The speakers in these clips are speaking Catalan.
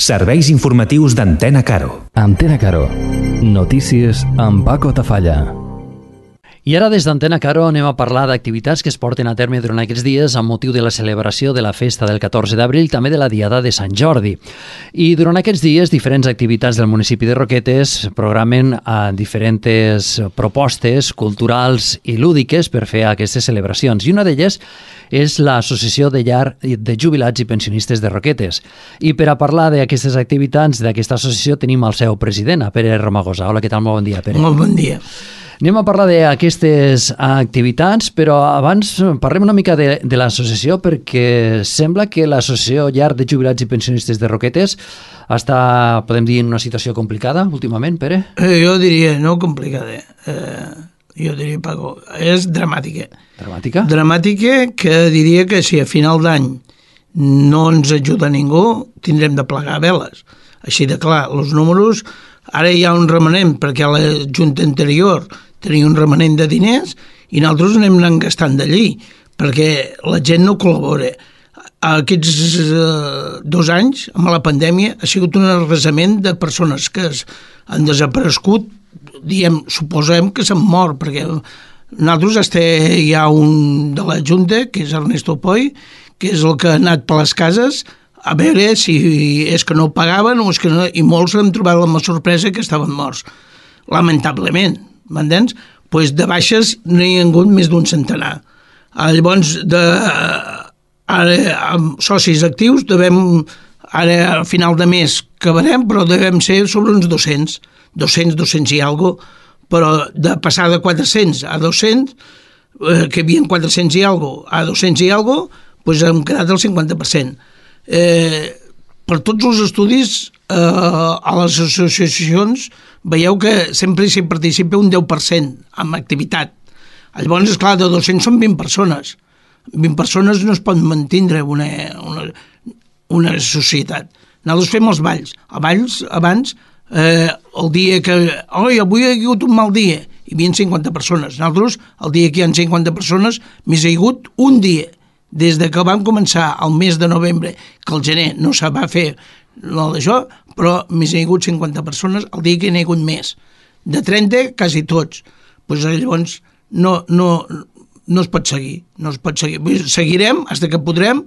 Serveis informatius d'Antena Caro. Antena Caro. Notícies amb Paco Tafalla. I ara des d'Antena Caro anem a parlar d'activitats que es porten a terme durant aquests dies amb motiu de la celebració de la festa del 14 d'abril, també de la Diada de Sant Jordi. I durant aquests dies, diferents activitats del municipi de Roquetes programen diferents propostes culturals i lúdiques per fer aquestes celebracions. I una d'elles és l'Associació de Llar de Jubilats i Pensionistes de Roquetes. I per a parlar d'aquestes activitats d'aquesta associació tenim el seu president, Pere Romagosa. Hola, què tal? Molt bon dia, Pere. Molt bon dia. Anem a parlar d'aquestes activitats, però abans parlem una mica de l'associació, perquè sembla que l'Associació Llar de Jubilats i Pensionistes de Roquetes està, podem dir, en una situació complicada últimament, Pere? Jo diria, no complicada, jo diria, Paco, és dramàtica. Dramàtica? Dramàtica, que diria que si a final d'any no ens ajuda ningú, tindrem de plegar veles. Així de clar, els números, ara hi ha un remanent, perquè la Junta anterior tenia un remanent de diners i nosaltres anem anant gastant d'allí, perquè la gent no col·labora. Aquests 2 anys, amb la pandèmia, ha sigut un arrasament de persones que han desaparegut, suposem que s'han mort, perquè nosaltres hi ha un de la Junta, que és Ernesto Poi, que és el que ha anat per les cases a veure si és que no pagaven o és que no, i molts han trobat la sorpresa que estaven morts. Lamentablement, m'entens? Pues de baixes no hi ha hagut més d'un centenar. Llavors, ara, amb socis actius, ara a final de mes acabarem, però devem ser sobre uns 200 i alguna cosa, però de passar de 400 a 200, que hi havia 400 i alguna cosa, a 200 i alguna cosa, doncs hem quedat el 50%. Per tots els estudis a les associacions veieu que sempre s'hi participa un 10% amb activitat. Llavors, esclar, de 200 són 20 persones. 20 persones no es pot mantindre una societat. Nosaltres fem els balls. A balls, abans, el dia que... avui ha hagut un mal dia, hi havia 50 persones. Nosaltres, el dia que hi ha 50 persones, més hi ha hagut un dia. Des de que vam començar el mes de novembre, que el gener no se va fer d'això, però més hi ha hagut 50 persones el dia que hi ha hagut més. De 30, quasi tots. Pues llavors no es pot seguir. No es pot seguir. Seguirem fins que podrem,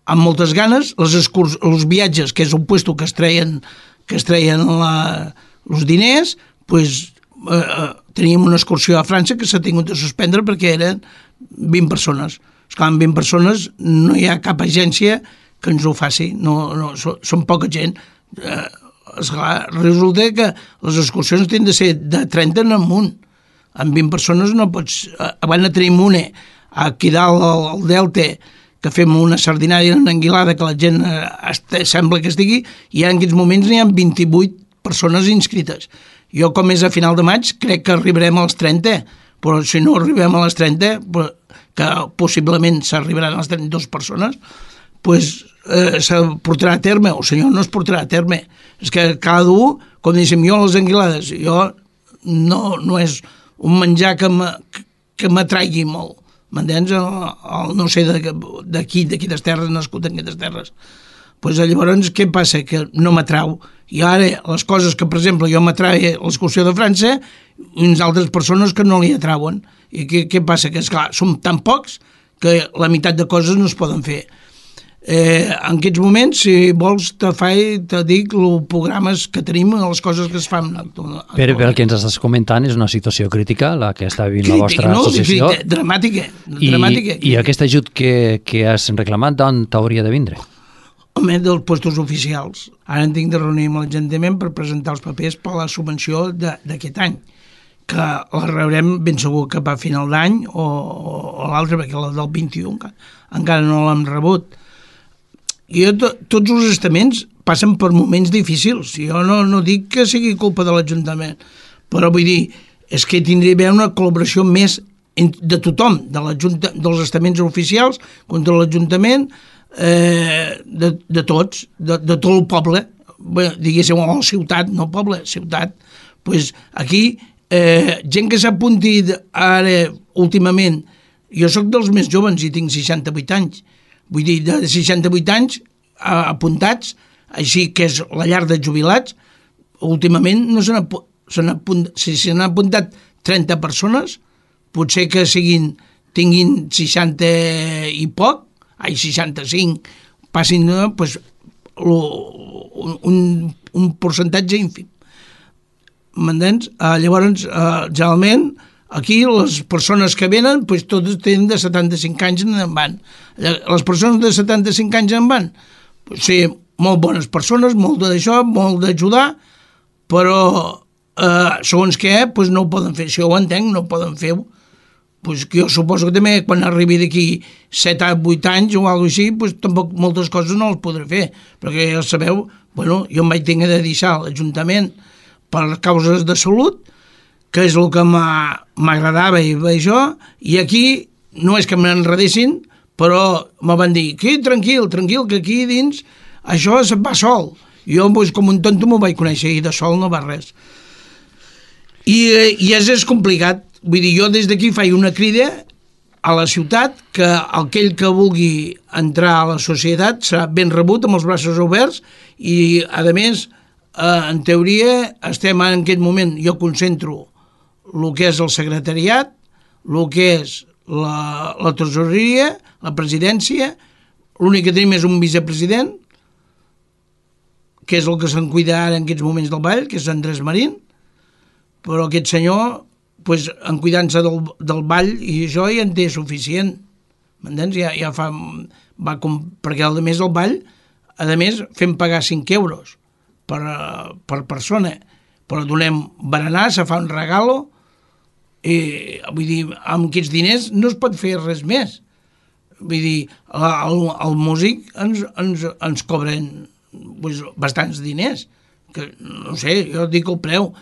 amb moltes ganes, els viatges, que és un puesto que es treien els diners, pues, teníem una excursió a França que s'ha tingut de suspendre perquè eren 20 persones. Esclar, amb 20 persones no hi ha cap agència que ens ho faci, són poca gent. Esclar, resulta que les excursions tenen de ser de 30 en amunt. Amb 20 persones no pots... Abans tenim una aquí dalt al Delta, que fem una sardinària en Anguilada, que la gent sembla que estigui, i en aquests moments n'hi ha 28 persones inscrites. Jo, com és a final de maig, crec que arribarem als 30, però si no arribem a les 30... que possiblement s'arribaran a les 32 persones, doncs se portarà a terme, o si no es portarà a terme. És que cada un, com diguéssim, jo a les Anguilades, jo no és un menjar que m'atraigui molt, m'entens? No sé d'aquí, d'aquestes terres, nascut en aquestes terres. Doncs llavors què passa? Que no m'atrau. I ara les coses que, per exemple, jo m'atraia l'excursió de França, uns altres persones que no li atrauen. I què passa? Que, esclar, som tan pocs que la meitat de coses no es poden fer. En aquests moments, si vols, te dic els programes que tenim, les coses que es fan. Però el que ens estàs comentant és una situació crítica, la que està vivint la vostra associació. Dramàtica. I aquest ajut que has reclamat, d'on t'hauria de vindre? Home, dels puestos oficials. Ara en tinc de reunir amb l'Ajuntament per presentar els papers per la subvenció d'aquest any, que la rebrem ben segur que a final d'any o l'altre, perquè la del 21 encara no l'hem rebut. Tots els estaments passen per moments difícils. Jo no dic que sigui culpa de l'Ajuntament, però vull dir, és que tindria d'haver una col·laboració més de tothom, dels estaments oficials contra l'Ajuntament, de tots, de tot el poble, diguéssim, o ciutat, no poble, ciutat. Pues aquí, gent que s'apunti ara, últimament, jo sóc dels més joves i tinc 68 anys, vull dir, de 68 anys apuntats, així que és la llar de jubilats, últimament no si s'han apuntat 30 persones, potser que tinguin 60 i poc, 65, passin pues, un percentatge ínfim. M'entens? Llavors, generalment, aquí les persones que venen, pues, totes tenen de 75 anys en van. Les persones de 75 anys en van, pues, sí, molt bones persones, molt d'això, molt d'ajudar, però segons què, pues, no ho poden fer. Si ho entenc, no ho poden fer. Pues, jo suposo que també quan arribi d'aquí 7 o 8 anys o alguna cosa així, pues, tampoc moltes coses no les podré fer, perquè ja sabeu, bueno, jo em vaig tenir de deixar l'Ajuntament per causes de salut, que és el que m'agradava i això, i aquí no és que m'enredessin, però me van dir, que tranquil, que aquí dins això se'n va sol. Jo, pues, com un tonto, m'ho vaig conèixer i de sol no va res. I és complicat. Vull dir, jo des d'aquí faig una crida a la ciutat que aquell que vulgui entrar a la societat serà ben rebut amb els braços oberts i, a més, en teoria estem en aquest moment, jo concentro el que és el secretariat, el que és la tresoreria, la presidència, l'únic que tenim és un vicepresident, que és el que se'n cuida ara en aquests moments del ball, que és Andrés Marín, però aquest senyor, pues, en cuidant-se del ball i això ja en té suficient, m'entens? Ja fa, perquè a més el ball, a més fem pagar 5 euros per persona, però donem berenar, se fa un regalo, i vull dir, amb aquests diners no es pot fer res més. Vull dir, el músic ens cobren pues, bastants diners, que no sé, jo dic el preu,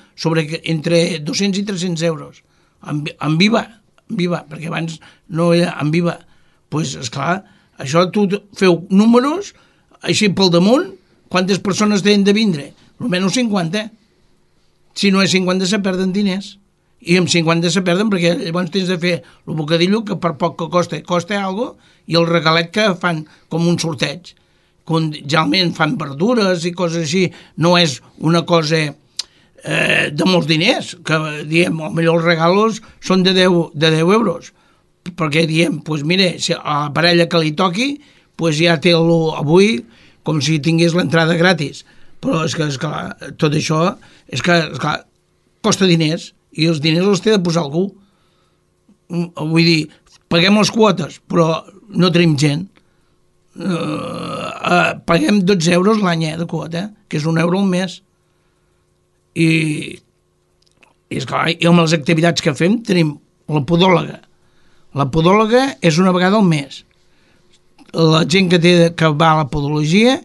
entre 200 i 300 euros, en viva, perquè abans no era en viva. Doncs, esclar, això tu feu números, així pel damunt, quantes persones tenen de vindre? Almenys 50. Si no és 50 se perden diners. I amb 50 se perden perquè llavors tens de fer el bocadillo que per poc que costa alguna cosa, i el regalet que fan com un sorteig. Generalment fan verdures i coses així. No és una cosa de molts diners, que diem, potser els regalos són de 10 euros. Perquè diem, doncs mira, si a la parella que li toqui, doncs ja té avui com si tingués l'entrada gratis. Però és que, esclar, tot això és que, esclar, costa diners i els diners els té de posar algú. Vull dir, paguem les quotes, però no tenim gent. Paguem 12 euros l'any de quota, que és 1 euro al mes. I esclar, i amb les activitats que fem tenim la podòloga. La podòloga és una vegada al mes. La gent que va a la podologia,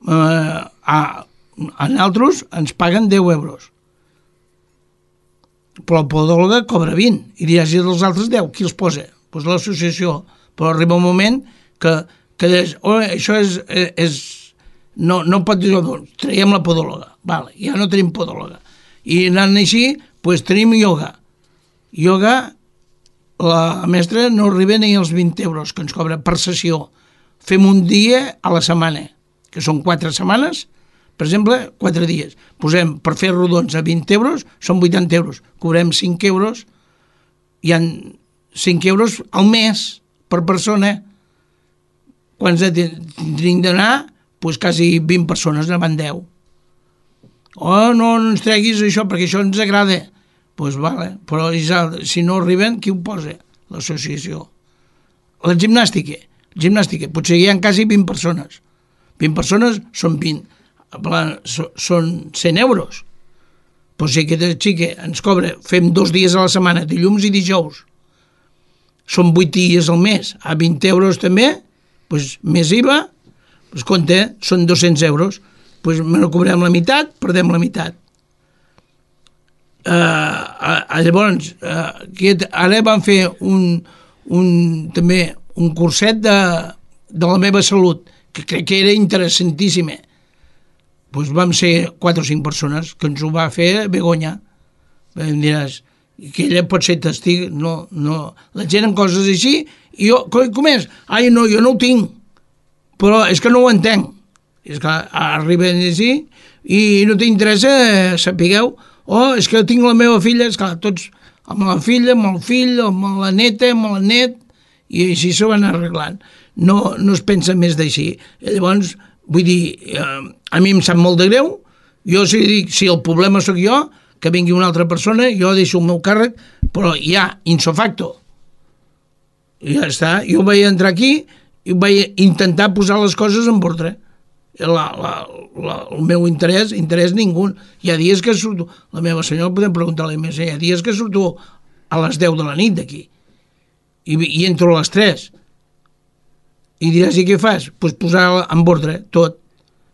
a nosaltres ens paguen 10 euros. Però la podòloga cobra 20 i diràs, i dels altres 10, qui els posa? Doncs l'associació. Però arriba un moment que això és no pot dir, traiem la podòloga, vale, ja no tenim podòloga. I anant així, doncs tenim ioga. Ioga, la mestra no arriba ni als 20 euros que ens cobra per sessió. Fem un dia a la setmana, que són 4 setmanes, per exemple, 4 dies. Posem, per fer rodons a 20 euros, són 80 euros. Cobrem 5 euros, hi ha 5 euros al mes per persona. Quants tindríem d'anar? Doncs quasi 20 persones, ne van 10. Oh, no ens treguis això, perquè això ens agrada. Doncs vale, però si no arriben, qui ho posa? L'associació. La gimnàstica, potser hi ha quasi 20 persones. 20 persones són 20. Són 100 euros. Però si aquesta xica ens cobra, fem 2 dies a la setmana, dilluns i dijous, són 8 dies al mes, a 20 euros també, doncs més IVA, doncs compte, són 200 euros, doncs me no cobrem la meitat, perdem la meitat. Llavors, ara vam fer també un curset de la meva salut, que crec que era interessantíssima. Doncs vam ser 4 o 5 persones que ens ho va fer Begoña. Em diràs, que ella pot ser testig, no. La gent en coses així, i jo, com és? Ai, no, jo no ho tinc, però és que no ho entenc. I esclar, arriben així i no t'interessa, sapigueu, és que tinc la meva filla, esclar, tots amb la filla, amb el fill, amb la neta, amb el net, i així s'ho van arreglant. No es pensa més d'així. Llavors, vull dir, a mi em sap molt de greu, jo si el problema sóc jo, que vingui una altra persona, jo deixo el meu càrrec, però ja, ins facto. I ja està. Jo vaig entrar aquí i vaig intentar posar les coses en ordre. El meu interès ningú. Hi ha dies que surto, la meva senyora podem preguntar-li més, hi ha dies que surto a les 10 de la nit d'aquí i entro a les 3 i diràs, i què fas? Pues posar en ordre tot.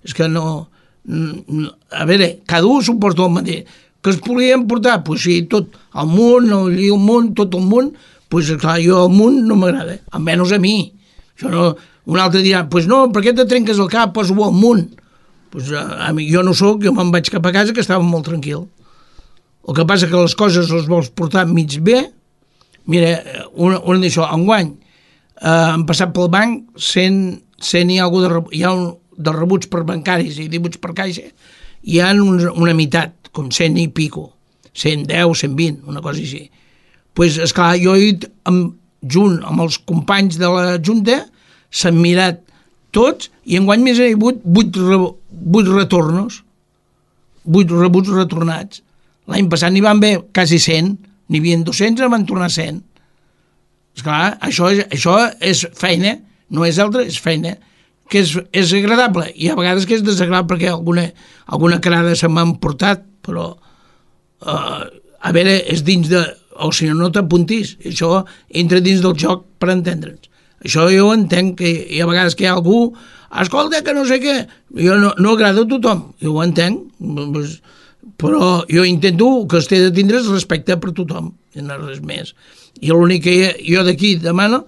És que no, a veure, cada un suporta el mateix. Que es podien portar? Pues sí, tot el món, tot el món, pues clar, jo el món no m'agrada, almenys a mi. Això no. Un altre dirà, pues no, per què te trenques el cap, posa-ho al munt? Pues, jo no sóc, jo me'n vaig cap a casa, que estava molt tranquil. El que passa que les coses les vols portar mig bé. Mira, una d'això, enguany, han passat pel banc 100 i alguna cosa hi ha de rebuts per bancaris i rebuts per caixa, hi ha una meitat, com 100 i pico, 110, 120, una cosa així. Pues, esclar, jo he dit, junt amb els companys de la Junta, s'han mirat tots i enguany més hi ha hagut 8 retornos, 8 rebuts retornats. L'any passat n'hi van haver quasi 100, n'hi havia 200, en van tornar 100. Esclar, això és feina, no és altra, és feina, que és agradable, i a vegades que és desagradable perquè alguna carada se m'han portat, però a veure, és dins de... o si no t'apuntis, això entra dins del joc per entendre'ns. Això jo entenc, que hi ha vegades que hi ha algú, escolta, que no sé què, jo no agrada a tothom, jo ho entenc, però jo intento que es té de tindre respecte per tothom, i no res més. I l'únic que jo d'aquí demano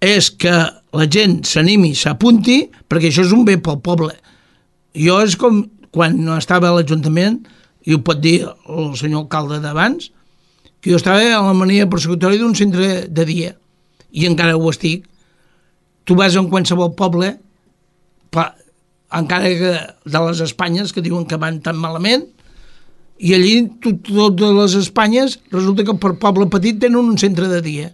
és que la gent s'animi, s'apunti, perquè això és un bé pel poble. Jo és com quan no estava a l'Ajuntament, i ho pot dir el senyor alcalde d'abans, que jo estava a la mania persecutòria d'un centre de dia, i encara ho estic. Tu vas a qualsevol poble, encara que de les Espanyes, que diuen que van tan malament, i allí totes les Espanyes resulta que per poble petit tenen un centre de dia.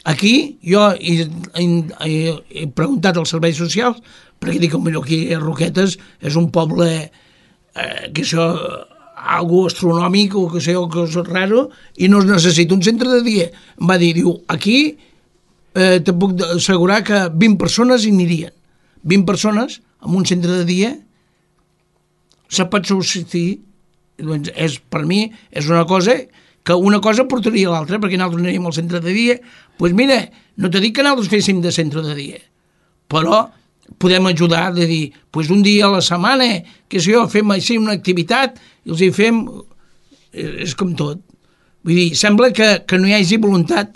Aquí jo he preguntat als serveis socials, perquè dic que aquí a Roquetes és un poble que això algo astronòmic o que sé, o que és raro, i no es necessita un centre de dia. Em va dir, aquí te puc assegurar que 20 persones hi anirien. 20 persones en un centre de dia se pot subsistir. Doncs per mi és una cosa que una cosa portaria a l'altra, perquè nosaltres aniríem al centre de dia. Doncs mira, no t'he dit que nosaltres féssim de centre de dia, però podem ajudar de dir, doncs un dia a la setmana, que si jo, fem així una activitat, i els hi fem, és com tot. Vull dir, sembla que no hi hagi voluntat.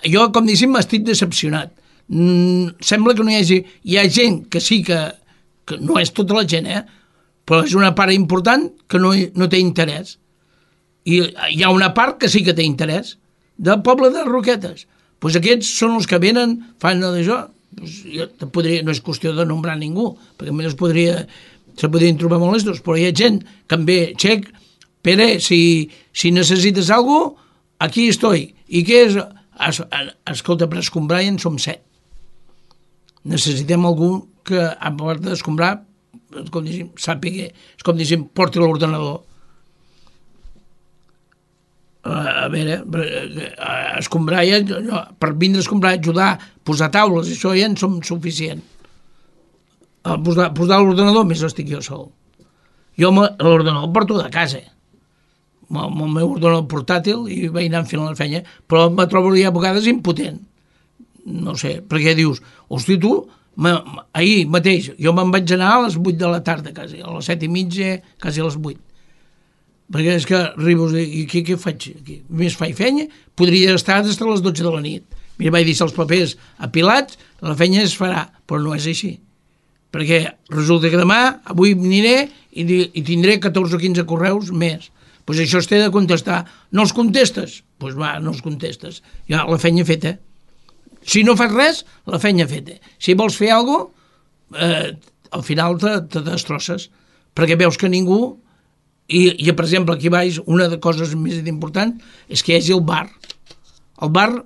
Jo, com diguéssim, estic decepcionat. Sembla que no hi ha gent que sí que no és tota la gent, però és una part important que no té interès. I hi ha una part que sí que té interès, del poble de Roquetes. Doncs aquests són els que venen, fan d'això. No és qüestió de nombrar ningú, perquè a se podrien trobar molestos, però hi ha gent que em ve, Xec, Pere, si necessites alguna cosa, aquí estoy. I què és? Escolta, per escombrar ja en som 7. Necessitem algú que, a part d'escombrar, com diguéssim, sàpiga, és com diguéssim, porti l'ordenador. A veure, escombrar ja, per vindre a escombrar, ajudar, posar taules, això ja en som suficient. Posar l'ordenador, més estic jo sol. Jo l'ordenador el porto de casa, amb el meu ordenador portàtil, i vaig anar fent la feina, però me trobo a vegades impotent. No sé, perquè dius, hosti, tu, ahir mateix, jo me'n vaig anar a les 8 de la tarda, quasi, a les 7:30, quasi a les 8. Perquè és que arribo i què faig aquí? Més faig feina? Podria estar des de les 12 de la nit. Mira, vaig deixar els papers apilats, la feina es farà, però no és així. Perquè resulta que demà, avui aniré i tindré 14 o 15 correus més. Doncs això es té de contestar. No els contestes? Doncs va, no els contestes. Ja, la feina feta. Si no fas res, la feina feta. Si vols fer alguna cosa, al final te destrosses, perquè veus que ningú, i per exemple aquí baix una de coses més importants és que hi hagi el bar. El bar,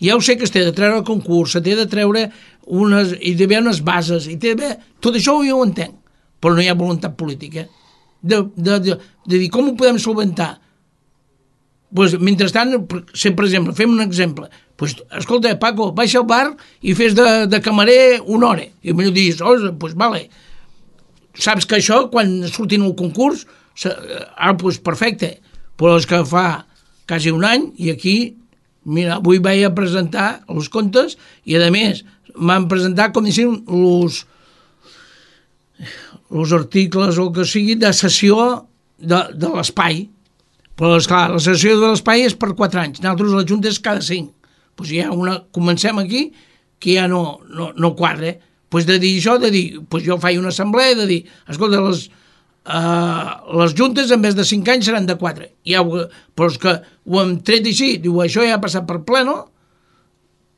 ja ho sé que es té de treure el concurs, se té de treure hi ha d'haver unes bases, tot això jo ho entenc, però no hi ha voluntat política de dir com ho podem solventar. Pues, mentrestant, per exemple, fem un exemple, pues, escolta, Paco, baixa al bar i fes de camarer una hora, i millor dius, pues vale, saps que això quan surtin el concurs pues perfecte, però és que fa quasi un any i aquí, mira, avui vaig a presentar els comptes i a més m'han presentat com diguéssim els articles o el que sigui de cessió de l'espai. Però, esclar, la cessió de l'espai és per 4 anys. Nosaltres la Junta és cada 5. Pues ja comencem aquí que ja no quadra. Pues de dir això, pues jo faig una assemblea de dir, escolta, les juntes en vez de 5 anys seran de 4. Però és que ho hem tret així, diu, això ja ha passat per pleno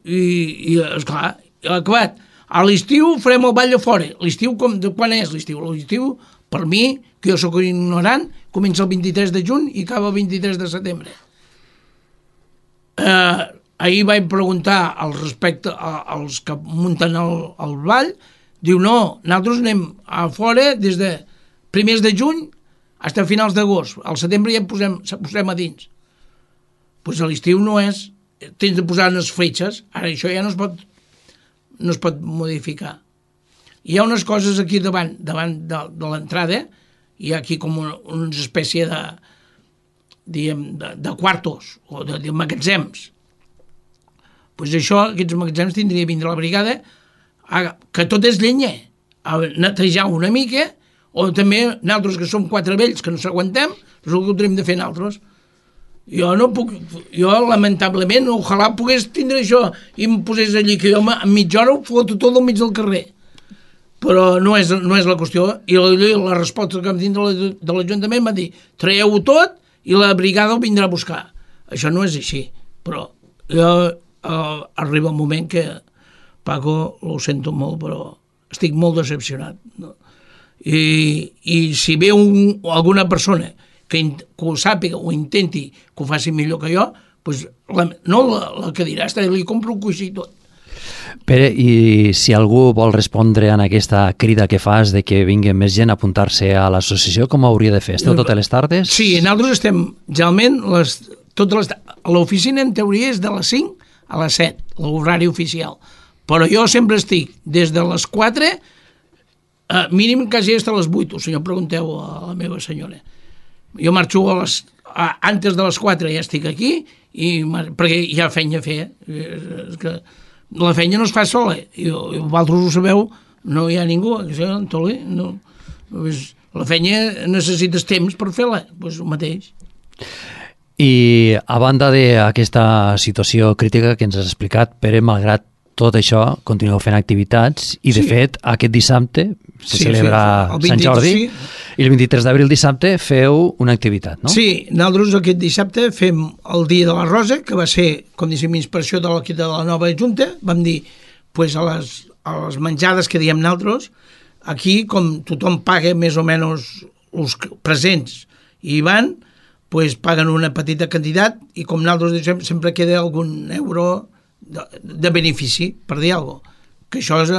i esclar, acabat. A l'estiu farem el ball de fora. L'estiu, quan és l'estiu? L'estiu, per mi, que jo sóc ignorant, comença el 23 de juny i acaba el 23 de setembre. Ahir vaig preguntar al respecte als que munten el ball, diu, no, nosaltres anem a fora des de primers de juny fins a finals d'agost. Al setembre ja posem a dins. Doncs a l'estiu no és, tens de posar unes fletxes, ara això ja no es pot modificar. Hi ha unes coses aquí davant de l'entrada, hi ha aquí com una espècie de quartos o de magatzems. Doncs això, aquests magatzems tindria de vindre la brigada, que tot és llenya, a netejar una mica, o també nosaltres que som 4 vells que no s'aguantem, és el que ho tenim de fer nosaltres. Jo no puc, lamentablement, ojalà pogués tindre això i em posés allí, que jo en mitja hora ho foto tot al mig del carrer. Però no és la qüestió, i la resposta que em tinc de l'Ajuntament va dir, traieu-ho tot i la brigada ho vindrà a buscar. Això no és així, però arriba un moment que, Paco, ho sento molt, però estic molt decepcionat. No? I si ve alguna persona que ho sàpiga o intenti que ho faci millor que jo, pues, no la que dirà, li compro un coixí i tot. Pere, i si algú vol respondre en aquesta crida que fas de que vingui més gent a apuntar-se a l'associació, com hauria de fer? Esteu totes les tardes? Sí, nosaltres estem, generalment, l'oficina en teoria és de les 5 a les 7, l'horari oficial. Però jo sempre estic des de les 4, mínim quasi fins a les 8, o senyor, pregunteu a la meva senyora. Jo marxo antes de les 4 ja estic aquí, perquè hi ha feina a fer. És que la feina no es fa sola, i vosaltres ho sabeu, no hi ha ningú, Antolí, no. La feina necessites temps per fer-la, doncs el mateix. I a banda d'aquesta situació crítica que ens has explicat, Pere, malgrat tot això, continueu fent activitats i, de fet, aquest dissabte se celebra Sant Jordi i el 23 d'abril dissabte feu una activitat, no? Sí, nosaltres aquest dissabte fem el Dia de la Rosa, que va ser, com diguéssim, inspiració de la nova Junta. Vam dir, pues, a les menjades que diem nosaltres, aquí, com tothom paga més o menys els presents i van, pues, paguen una petita quantitat i com nosaltres diem, sempre queda algun euro de benefici, per dir alguna cosa. Que això és...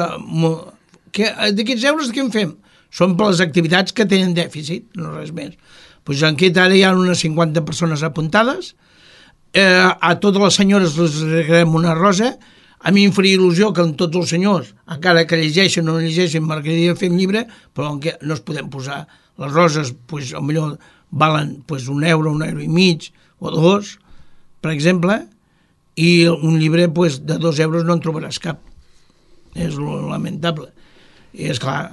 d'aquests euros què en fem? Són per les activitats que tenen dèficit, no res més. Doncs en aquest ara hi ha unes 50 persones apuntades, a totes les senyores les regalem una rosa, a mi em faria il·lusió que amb tots els senyors, encara que llegeixen o no llegeixen, m'agradaria fer un llibre, però no es podem posar. Les roses, doncs, potser valen €1, €1,50 o €2, per exemple, i un llibre de €2 no en trobaràs cap. És lamentable. I esclar,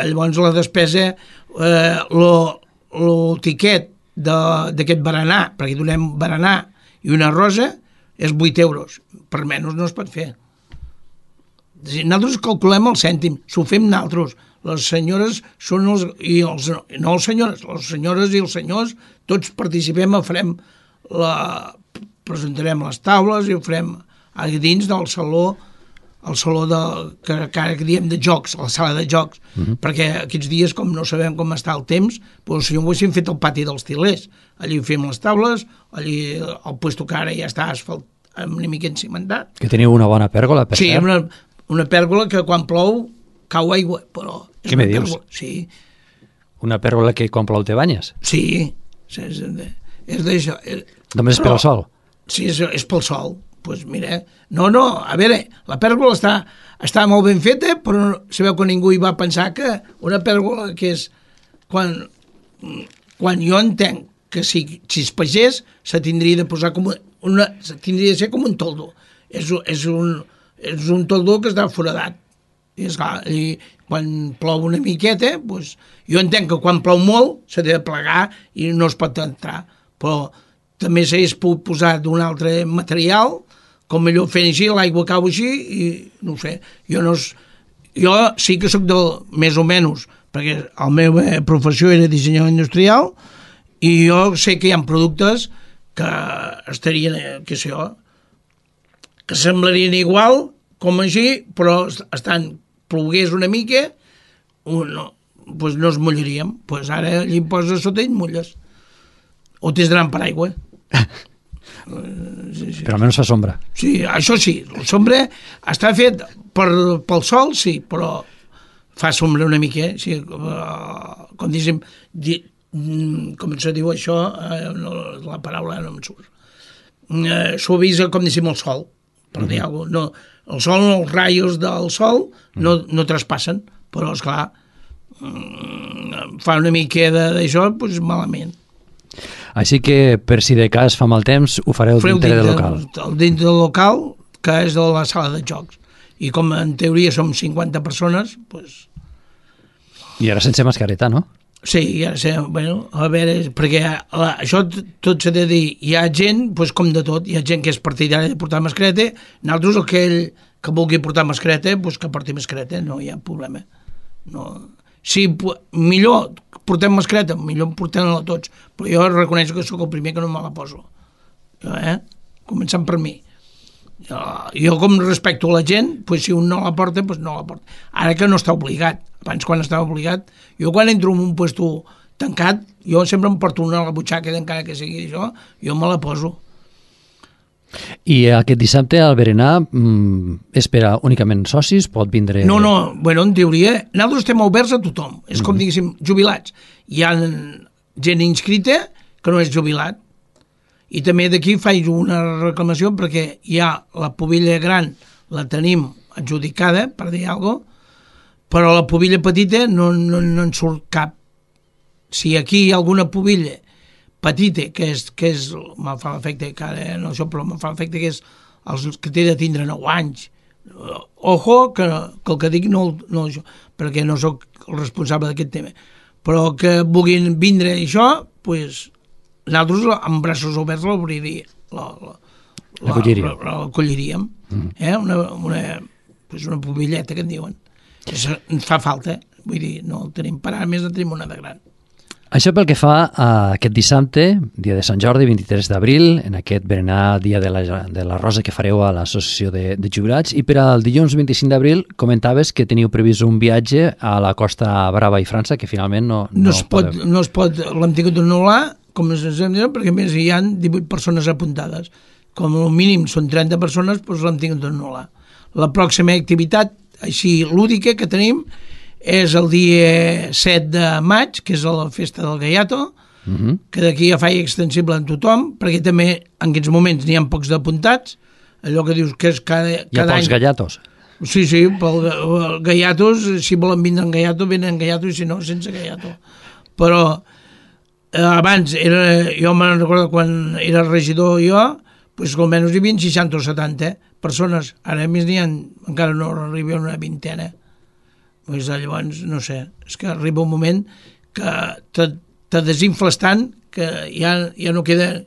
llavors la despesa, el tiquet d'aquest berenar, perquè donem berenar i una rosa, és €8. Per menys no es pot fer. Nosaltres calculem el cèntim, s'ho fem nosaltres. Les senyores són les senyores i els senyors, tots participem, presentarem les taules i ho farem a dins del saló al saló que ara diem de jocs, a la sala de jocs, perquè aquests dies, com no sabem com està el temps, doncs si ho haguéssim fet al pati dels Tilers, allí fem les taules, allí el puesto que ara ja està asfalt, una mica encimentat. Que teniu una bona pèrgola, per cert. Sí, una pèrgola que quan plou cau aigua, però... Què me dius? Sí. Una pèrgola que quan plou te banyes? Sí, és d'això. Només pel sol? Sí, és pel sol. Pues mira, no, a veure, la pèrgola està molt ben feta, però sabeu que ningú hi va pensar que una pèrgola que és... Quan jo entenc que si es pagès, se tindria de posar com tindria de ser com un toldo. És un toldo que està foradat. I esclar, quan plou una miqueta, doncs, jo entenc que quan plou molt s'ha de plegar i no es pot entrar, però també s'hagués pogut posar d'un altre material, com millor fent així, l'aigua cau així, i no ho sé, jo sí que sóc més o menys, perquè la meva professió era dissenyador industrial, i jo sé que hi ha productes que estarien, què sé jo, que semblarien igual, com així, però plogués una mica, doncs no es mullaríem. Doncs ara allí poses sota i et mulles. O t'és d'anar per aigua. Sí. Però almenys fa sombra. Sí, això sí. La sombra està fet pel sol, sí, però fa sombra una mica. Sí, com diguéssim, com se diu això, la paraula no em surt. Suavisa, com diguéssim, el sol, per dir alguna cosa. No, el sol, els raios del sol no traspassen, però esclar, fa una mica d'això, doncs malament. Així que, per si de cas fa mal temps, ho fareu dintre del local. Dintre del local, que és de la sala de jocs. I com en teoria som 50 persones, doncs... I ara sense mascareta, no? Sí, ja sé, bueno, a veure, perquè això tot s'ha de dir, hi ha gent, doncs com de tot, hi ha gent que és partidària de portar mascareta, nosaltres aquell que vulgui portar mascareta, doncs que porti mascareta, no hi ha problema. No. Si millor portem mascareta, millor portem-la tots, però jo reconeixo que sóc el primer que no me la poso. Començant per mi. Jo com respecto a la gent, doncs si un no la porta, doncs no la porta. Ara que no està obligat, abans quan estava obligat, jo quan entro en un puesto tancat, jo sempre em porto una a la butxaca, encara que sigui això, jo me la poso. I aquest dissabte al berenar és per a únicament socis? Pot vindre... No, bueno, en teoria, nosaltres estem oberts a tothom, és com diguéssim, jubilats. Hi ha gent inscrita que no és jubilat, i també d'aquí faig una reclamació perquè hi ha la pubilla gran, la tenim adjudicada, per dir alguna cosa, però la pubilla petita no en surt cap. Si aquí hi ha alguna pubilla petita, que és me fa l'efecte, que ara no això, però me fa l'efecte que és els que té de tindre 9 anys. Ojo, que el que dic no perquè no sóc el responsable d'aquest tema, però que vulguin vindre això, doncs nosaltres amb braços oberts l'acolliríem. Una pubilleta que en diuen. Ens fa falta, vull dir, no el tenim per ara, més en tenim una de gran. Això pel que fa a aquest dissabte, dia de Sant Jordi, 23 d'abril, en aquest berenar dia de la Rosa que fareu a l'associació de jubilats, i per al dilluns 25 d'abril comentaves que teniu previst un viatge a la Costa Brava i França, que finalment no es pot, l'hem tingut d'anul·lar, com ens hem dit, perquè a més hi ha 18 persones apuntades. Com a mínim són 30 persones, doncs l'hem tingut d'anul·lar. La pròxima activitat, així lúdica, que tenim és el dia 7 de maig, que és la festa del Gallato, que d'aquí ja faig extensible a tothom, perquè també en aquests moments n'hi ha pocs d'apuntats, allò que dius que és cada any... Hi ha pocs gallatos? Sí, pel Gallatos, si volen vindre en Gallato, venen en Gallato, i si no, sense Gallato. Però abans, jo me'n recordo quan era regidor jo, doncs almenys hi havia 60 o 70 persones, ara més n'hi ha, encara no arriba a una vintena. Doncs llavors, no sé, és que arriba un moment que te desinfles tant que ja no queda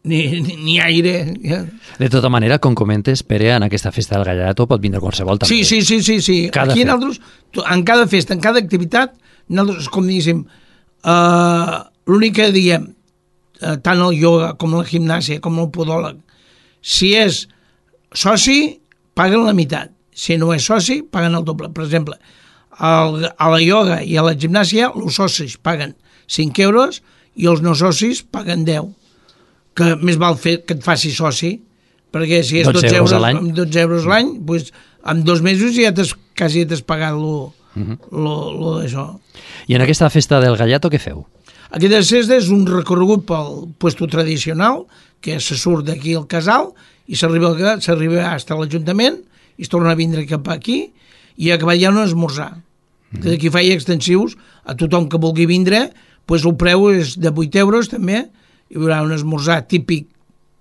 ni aire. Ja. De tota manera, com comentes, Pere, en aquesta festa del Gallato pot vindre qualsevol també. Sí. Aquí nosaltres, en cada festa, en cada activitat, nosaltres, com diguéssim, l'únic que diem, tant el ioga com la gimnàsia com el podòleg, si és soci, paguen la meitat. Si no és soci, paguen el doble. Per exemple, a la ioga i a la gimnàsia, els socis paguen 5 euros i els no socis paguen 10. Que més val fer que et faci soci, perquè si és 12 euros a l'any, amb 12 euros l'any, doncs en 2 mesos ja quasi t'has pagat lo d'això. I en aquesta festa del Gallato què feu? Aquesta festa és un recorregut pel puesto tradicional, que se surt d'aquí al casal i s'arriba fins a l'Ajuntament i es torna a vindre cap aquí i acabar ja un esmorzar. D'aquí feia extensius a tothom que vulgui vindre, doncs el preu és de 8 euros també, hi haurà un esmorzar típic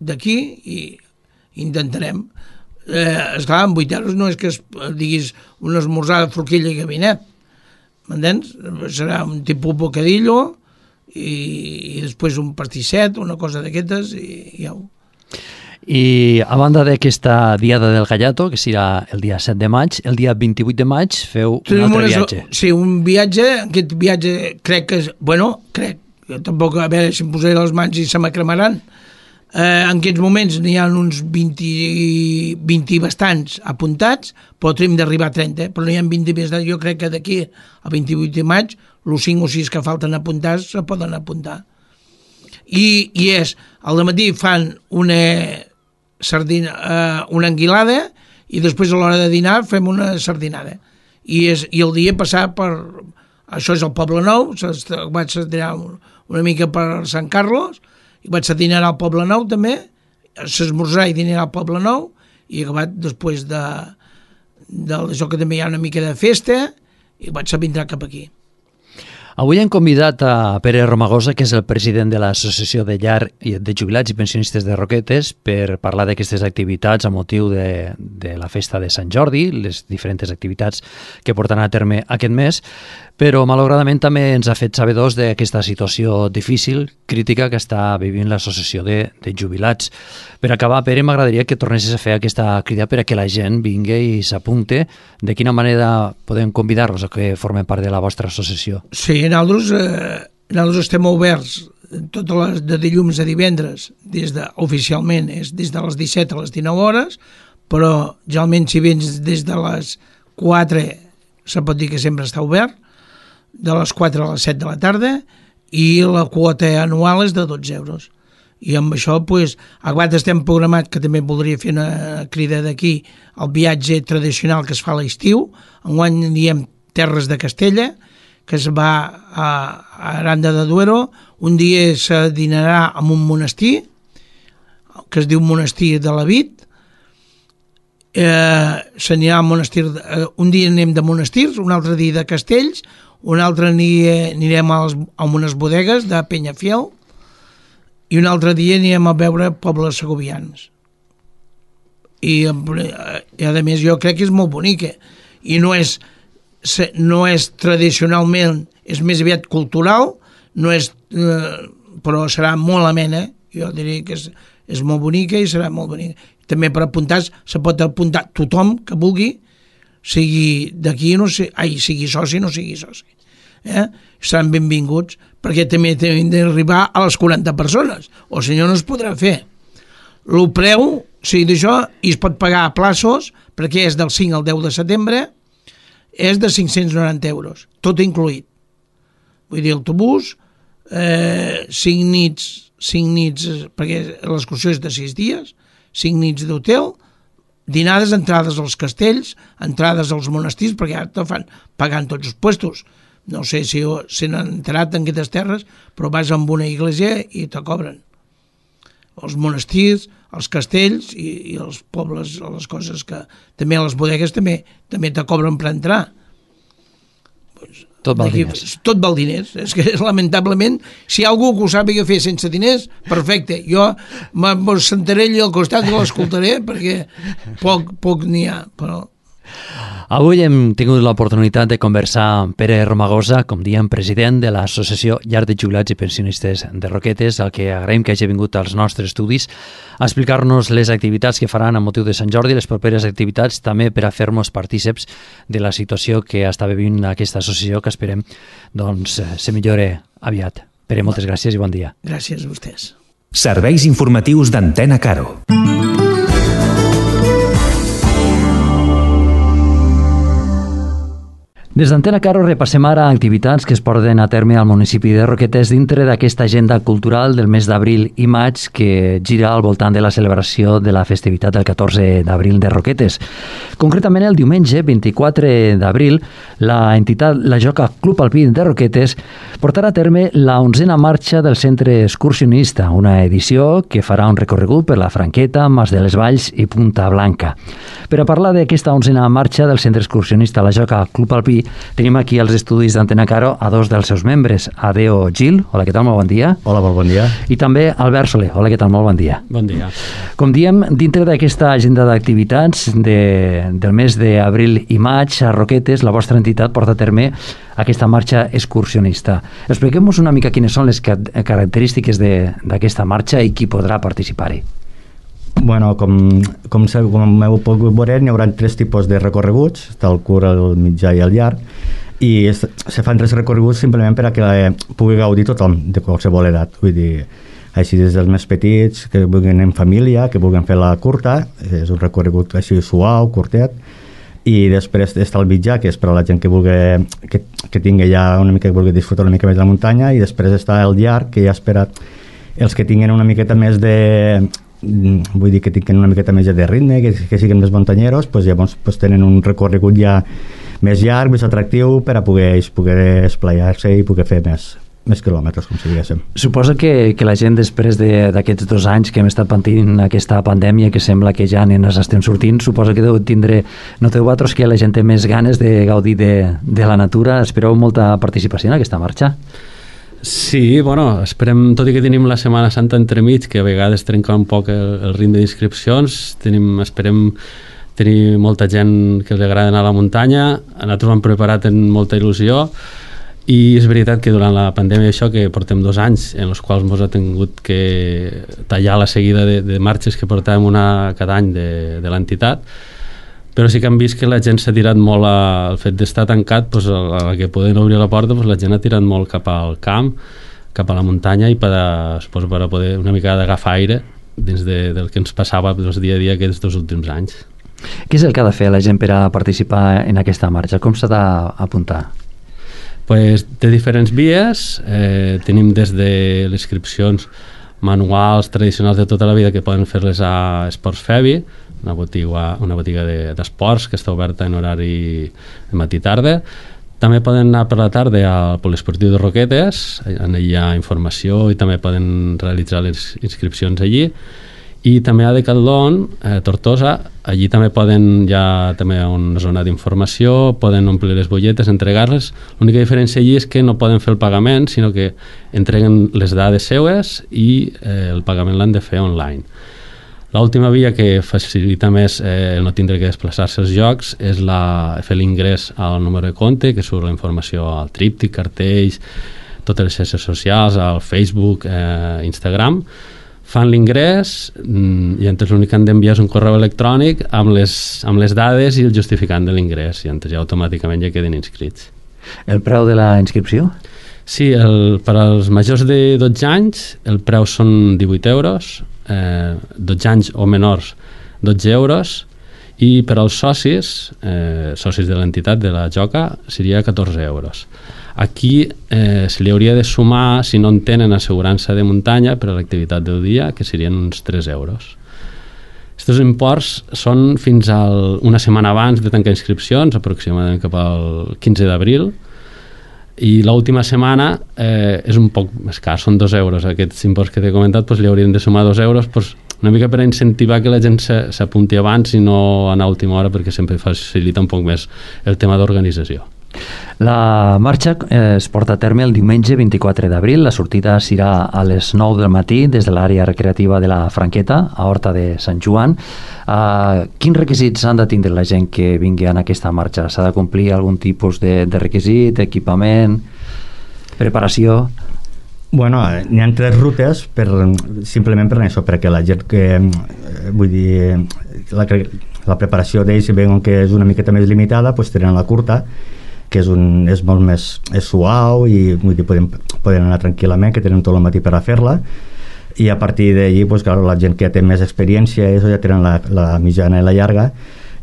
d'aquí i intentarem. Esclar, amb 8 euros no és que diguis un esmorzar de forquilla i gabinet, m'entens? Serà un tipus bocadillo i després un pastisset, una cosa d'aquestes i ja ho... I a banda d'aquesta Diada del Gallato, que serà el dia 7 de maig, el dia 28 de maig feu un altre viatge. Sí, un viatge, aquest viatge crec que... jo tampoc, a veure si em posaré les mans i se m'acremaran. En aquests moments n'hi ha uns 20 bastants apuntats, però hem d'arribar a 30, però n'hi ha 20 bastants. Jo crec que d'aquí al 28 de maig, els 5 o 6 que falten apuntats se poden apuntar. I és, al matí fan una anguilada i després a l'hora de dinar fem una sardinada. I el dia passar per... Això és el Poble Nou, vaig dinar una mica per Sant Carlos, i vaig dinar al Poble Nou també, s'esmorzar i dinar al Poble Nou, i acabat després d'això que també hi ha una mica de festa, i vaig vindre cap aquí. Avui hem convidat a Pere Romagosa, que és el president de l'Associació de Llar de Jubilats i Pensionistes de Roquetes, per parlar d'aquestes activitats a motiu de la festa de Sant Jordi, les diferents activitats que porten a terme aquest mes, però malauradament també ens ha fet sabedors d'aquesta situació difícil, crítica que està vivint l'Associació de Jubilats. Per acabar, Pere, m'agradaria que tornessis a fer aquesta crida per a que la gent vingui i s'apunte. De quina manera podem convidar-los a que formen part de la vostra associació? Sí, nosaltres estem oberts totes les de dilluns a divendres, oficialment és des de les 17 a les 19 hores, però generalment si vens des de les 4 se pot dir que sempre està obert, de les 4 a les 7 de la tarda, i la quota anual és de 12 euros. I amb això, acabat estem programat, que també voldria fer una crida d'aquí, el viatge tradicional que es fa a l'estiu. Enguany diem Terres de Castella, que es va a Aranda de Duero. Un dia se dinarà en un monestir, que es diu Monestir de la Vid. S'anirà al monestir, un dia anem de monestirs, un altre dia de castells, un altre anirem a unes bodegues de Peñafiel i un altre dia anirem a veure pobles segovians. I a més jo crec que és molt bonica i no és tradicionalment, és més aviat cultural, però serà molt amena. Jo diria que és molt bonica i serà molt bonica. També per apuntar se pot apuntar tothom que vulgui, sigui d'aquí, sigui soci o no sigui soci. Seran benvinguts, perquè també hem d'arribar a les 40 persones, o si no es podrà fer. El preu, d'això, i es pot pagar a plaços, perquè és del 5 al 10 de setembre, és de 590 euros, tot incluït. Vull dir, autobús, 5 nits, perquè l'excursió és de 6 dies, 5 nits d'hotel, dinades, entrades als castells, entrades als monestirs, perquè ara te fan pagant tots els puestos. No sé si s'han enterat en aquestes terres, però vas a una església i te cobren. Els monestirs, els castells i els pobles, les coses que... També a les bodegues també te cobren per entrar. Tot val diners. Tot val diners. És que, lamentablement, si hi ha algú que ho sàpiga fer sense diners, perfecte. Jo me'n sentaré allà al costat i l'escoltaré, perquè poc n'hi ha, però... Avui hem tingut l'oportunitat de conversar amb Pere Romagosa, com diem, president de l'Associació Llar de Jubilats i Pensionistes de Roquetes, al que agraïm que hagi vingut als nostres estudis a explicar-nos les activitats que faran a motiu de Sant Jordi, les properes activitats, també per a fer-nos partíceps de la situació que està vivint aquesta associació, que esperem se millore aviat. Pere, moltes gràcies i bon dia. Gràcies a vostès. Serveis informatius d'Antena Caro. Des d'Antena Caro repassem ara activitats que es porten a terme al municipi de Roquetes dintre d'aquesta agenda cultural del mes d'abril i maig que gira al voltant de la celebració de la festivitat del 14 d'abril de Roquetes. Concretament, el diumenge 24 d'abril, la entitat La Joca Club Alpí de Roquetes portarà a terme la 11a marxa del Centre Excursionista, una edició que farà un recorregut per la Franqueta, Mas de les Valls i Punta Blanca. Per a parlar d'aquesta 11a marxa del Centre Excursionista La Joca Club Alpí, tenim aquí als estudis d'Antena Caro a dos dels seus membres, Adeo Gil, hola, què tal, molt bon dia. Hola, molt bon dia. I també Albert Soler, hola, què tal, molt bon dia. Bon dia. Com diem, dintre d'aquesta agenda d'activitats del mes d'abril i maig, a Roquetes, la vostra entitat porta a terme aquesta marxa excursionista. Expliquem-nos una mica quines són les característiques d'aquesta marxa i qui podrà participar-hi. Bueno, com heu pogut veure, hi haurà 3 tipus de recorreguts, el curt, el mitjà i el llarg, i se fan 3 recorreguts simplement per a que pugui gaudir tothom de qualsevol edat. Vull dir, així des dels més petits, que vulguin en família, que vulguin fer la curta, és un recorregut així suau, curtet, i després està el mitjà, que és per a la gent que tingui ja una mica, que vulgui disfrutar una mica més de la muntanya, i després està el llarg, que ja espera els que tinguin una miqueta més vull dir que tinguin una miqueta més de ritme, que siguin més muntanyeros, doncs llavors tenen un recorregut ja més llarg, més atractiu, per a poder esplaiar-se i poder fer més quilòmetres, com si diguéssim. Suposo que la gent, després d'aquests 2 anys que hem estat patint aquesta pandèmia, que sembla que ja ens estem sortint, suposo que noteu vosaltres que la gent té més ganes de gaudir de la natura. Espereu molta participació en aquesta marxa? Sí, bueno, esperem, tot i que tenim la Setmana Santa entremig, que a vegades trenca un poc el ritme d'inscripcions, esperem tenir molta gent que li agrada anar a la muntanya. Nosaltres ho hem preparat amb molta il·lusió, i és veritat que durant la pandèmia això, que portem 2 anys en els quals ens ha tingut que tallar la seguida de marxes que portàvem una cada any de l'entitat, però sí que hem vist que la gent s'ha tirat molt al fet d'estar tancat, doncs, a que poden obrir la porta, doncs, la gent ha tirat molt cap al camp, cap a la muntanya, i per a poder una mica d'agafar aire dins del que ens passava dia a dia aquests 2 últims anys. Què és el que ha de fer la gent per a participar en aquesta marxa? Com s'ha d'apuntar? Pues, té diferents vies. Tenim des de les inscripcions manuals tradicionals de tota la vida, que poden fer-les a Esports Febi, una botiga d'esports que està oberta en horari de matí-tarda. També poden anar per la tarda al Poliesportiu de Roquetes, allà hi ha informació i també poden realitzar les inscripcions allí. I també a Decathlon, Tortosa, allí també hi ha també una zona d'informació, poden omplir les butlletes, entregar-les. L'única diferència allí és que no poden fer el pagament, sinó que entreguen les dades seues i el pagament l'han de fer online. L'última via que facilita més no tindre que desplaçar-se als llocs és fer l'ingrés al número de compte, que surt la informació al tríptic, cartells, totes les xarxes socials, al Facebook, Instagram. Fan l'ingrés i entonces l'únic que han d'enviar és un correu electrònic amb les dades i el justificant de l'ingrés, i entonces ja automàticament ja queden inscrits. El preu de la inscripció? Sí, per als majors de 12 anys el preu són 18 euros, 12 anys o menors 12 euros, i per als socis de l'entitat de la Joca seria 14 euros. Aquí se li hauria de sumar, si no en tenen, assegurança de muntanya per a l'activitat del dia, que serien uns 3 euros. Aquests imports són fins a una setmana abans de tancar inscripcions, aproximadament cap al 15 d'abril, i l'última setmana és un poc més car, són 2 euros. Aquests imports que t'he comentat, doncs, li haurien de sumar 2 euros, doncs, una mica per incentivar que la gent s'apunti abans i no anar a última hora, perquè sempre facilita un poc més el tema d'organització. La marxa es porta a terme el diumenge 24 d'abril. La sortida serà a les 9 del matí des de l'àrea recreativa de la Franqueta, a Horta de Sant Joan. Quins requisits han de tindre la gent que vingui en aquesta marxa? S'ha de complir algun tipus de requisit, equipament, preparació? Bueno, n'hi ha 3 rutes simplement per això, perquè la gent que vull dir la preparació d'ells, si veuen que és una miqueta més limitada, doncs tenen la curta, que és molt més suau, i vull dir, poden anar tranquil·lament, que tenen tot el matí per a fer-la, i a partir d'allí, doncs, clar, la gent que ja té més experiència ja tenen la mitjana i la llarga,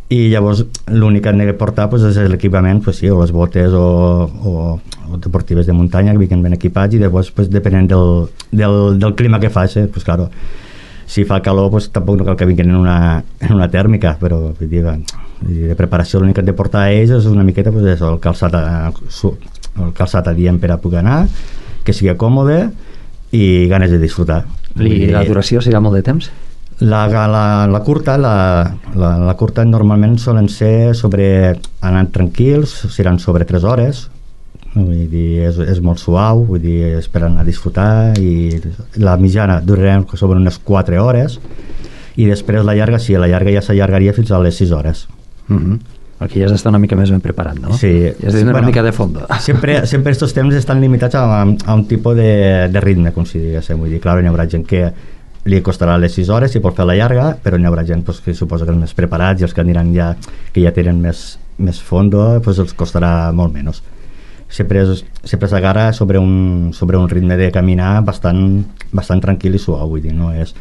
i llavors l'únic que han de portar pues, és l'equipament, pues, sí, o les botes o deportives de muntanya que vinguin ben equipats, i llavors pues, depenent del clima que faci, pues, claro, si fa calor pues, tampoc no cal que vinguin en una tèrmica, però vull dir, de preparació l'únic que han de portar a ells és una miqueta pues, és el calçat adient per a poder anar, que sigui còmode i ganes de disfrutar. I la duració serà molt de temps? La curta normalment solen ser anant tranquils, seran sobre 3 hores, vull dir, és molt suau, vull dir, és per anar a disfrutar, i la mitjana durarà sobre unes 4 hores, i després la llarga ja s'allargaria fins a les 6 hores. Perquè ja has d'estar una mica més ben preparat, no? Sí. Ja has de tenir una mica de fondo. Sempre estos temps estan limitats a un tipus de ritme, com si diguéssim. Vull dir, clar, hi haurà gent que li costarà les 6 hores si pot fer la llarga, però hi haurà gent pues, que suposa que els més preparats i els que aniran que ja tenen més fondo, pues, els costarà molt menys. Sempre s'agarra sobre un ritme de caminar bastant tranquil i suau, vull dir, no és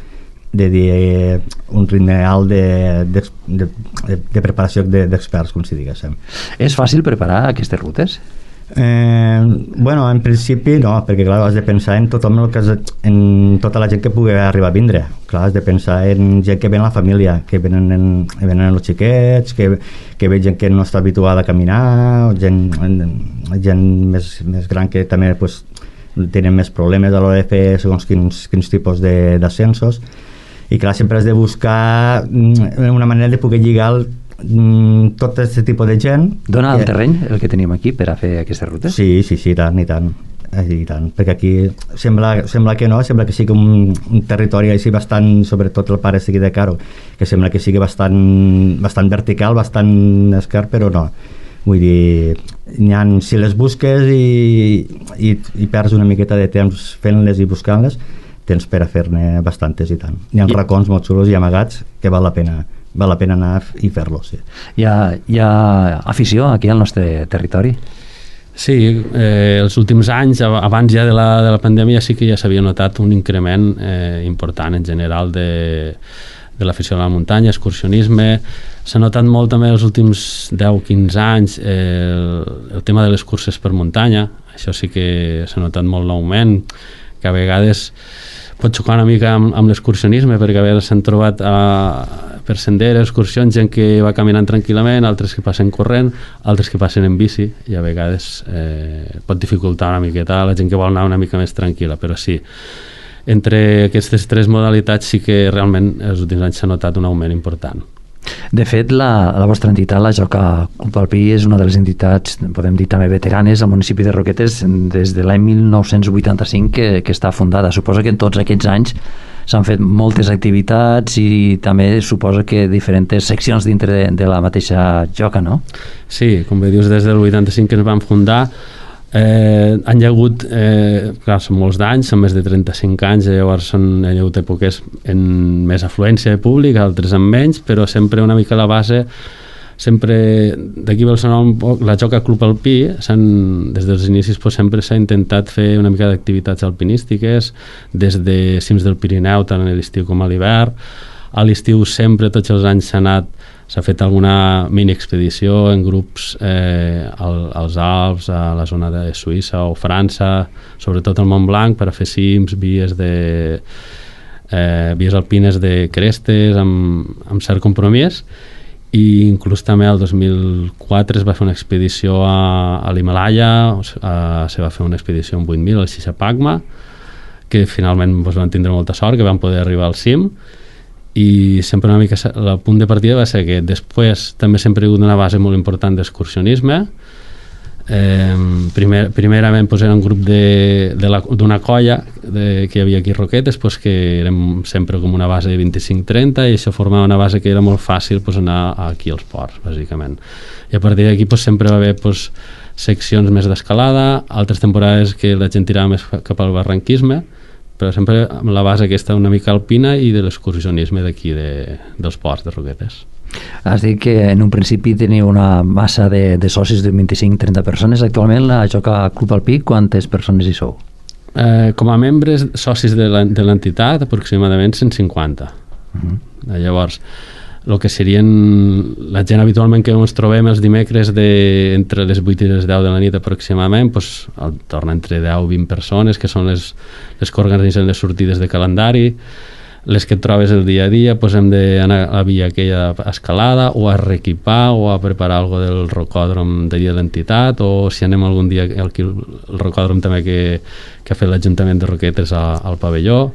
de dir un ritme alt de preparació d'experts, com si diguéssim. És fàcil preparar aquestes rutes? Bueno, en principi no, perquè clar, has de pensar en tothom en tota la gent que pugui arribar a vindre. Clar, has de pensar en gent que ve en la família, que venen els xiquets, que ve gent que no està habituada a caminar, gent més gran que també pues, tenen més problemes a l'hora de fer segons quins tipus d'ascensos, i clar, sempre has de buscar una manera de poder lligar tot aquest tipus de gent. Dona el terreny el que tenim aquí per a fer aquestes rutes? Sí, i tant, perquè aquí sembla que no, sembla que sigui un territori així bastant, sobretot el pare sigui de Caro, que sembla que sigui bastant vertical, bastant esquerp, però no. Vull dir, si les busques i perds una miqueta de temps fent-les i buscant-les, tens per a fer-ne bastantes i tant. Hi ha racons molt xulos i amagats que val la pena anar i fer-los. Sí. Hi ha afició aquí al nostre territori? Sí, els últims anys, abans ja de la pandèmia, sí que ja s'havia notat un increment important en general de l'afició a la muntanya, excursionisme. S'ha notat molt també els últims 10-15 anys el tema de les curses per muntanya. Això sí que s'ha notat molt l'augment, que a vegades pot xocar una mica amb l'excursionisme, perquè a vegades s'han trobat per senderes, excursions, gent que va caminant tranquil·lament, altres que passen corrent, altres que passen en bici, i a vegades pot dificultar una miqueta a la gent que vol anar una mica més tranquil·la, però sí, entre aquestes 3 modalitats sí que realment els últims anys s'ha notat un augment important. De fet, la vostra entitat, la Joca Club Alpí, és una de les entitats, podem dir també veteranes, al municipi de Roquetes des de l'any 1985 que està fundada. Suposa que en tots aquests anys s'han fet moltes activitats i també suposa que diferents seccions dintre de la mateixa Joca, no? Sí, com bé dius, des del 85 que ens vam fundar, han hi ha hagut, clar, són molts d'anys, són més de 35 anys, llavors hi ha hagut èpoques amb més afluència de públic, altres amb menys, però sempre una mica la base, sempre d'aquí vol sonar un poc, la Joca Club Alpí, des dels inicis sempre s'ha intentat fer una mica d'activitats alpinístiques, des de cims del Pirineu, tant a l'estiu com a l'hivern. A l'estiu sempre, tots els anys s'ha fet alguna mini-expedició en grups als Alps, a la zona de Suïssa o França, sobretot al Mont Blanc, per a fer cims, vies alpines de crestes, amb cert compromís, i inclús també el 2004 es va fer una expedició a l'Himalaya, se va fer una expedició amb 8.000 al Shishapangma, que finalment van tindre molta sort, que van poder arribar al cim, i sempre una mica el punt de partida va ser que després també sempre hi ha hagut una base molt important d'excursionisme. Primerament era un grup d'una colla que hi havia aquí a Roquetes, que érem sempre com una base de 25-30, i això formava una base que era molt fàcil anar aquí als ports, bàsicament. I a partir d'aquí sempre va haver seccions més d'escalada, altres temporades que la gent tirava més cap al barranquisme, però sempre amb la base aquesta una mica alpina i de l'excursionisme d'aquí dels ports de Roquetes. Has dit que en un principi teniu una massa de socis de 25-30 persones. Actualment la Joca Club Alpí, quantes persones hi sou? Com a membres socis de l'entitat, aproximadament 150. Llavors, el que serien la gent habitualment que ens trobem els dimecres entre les 8 i les 10 de la nit aproximadament, doncs, torna entre 10 i 20 persones, que són les que organitzen les sortides de calendari. Les que et trobes el dia a dia, doncs hem d'anar a la via aquella escalada o a reequipar o a preparar alguna cosa del rocòdrom de dia de l'entitat, o si anem algun dia al rocòdrom també que ha fet l'Ajuntament de Roquetes al pavelló.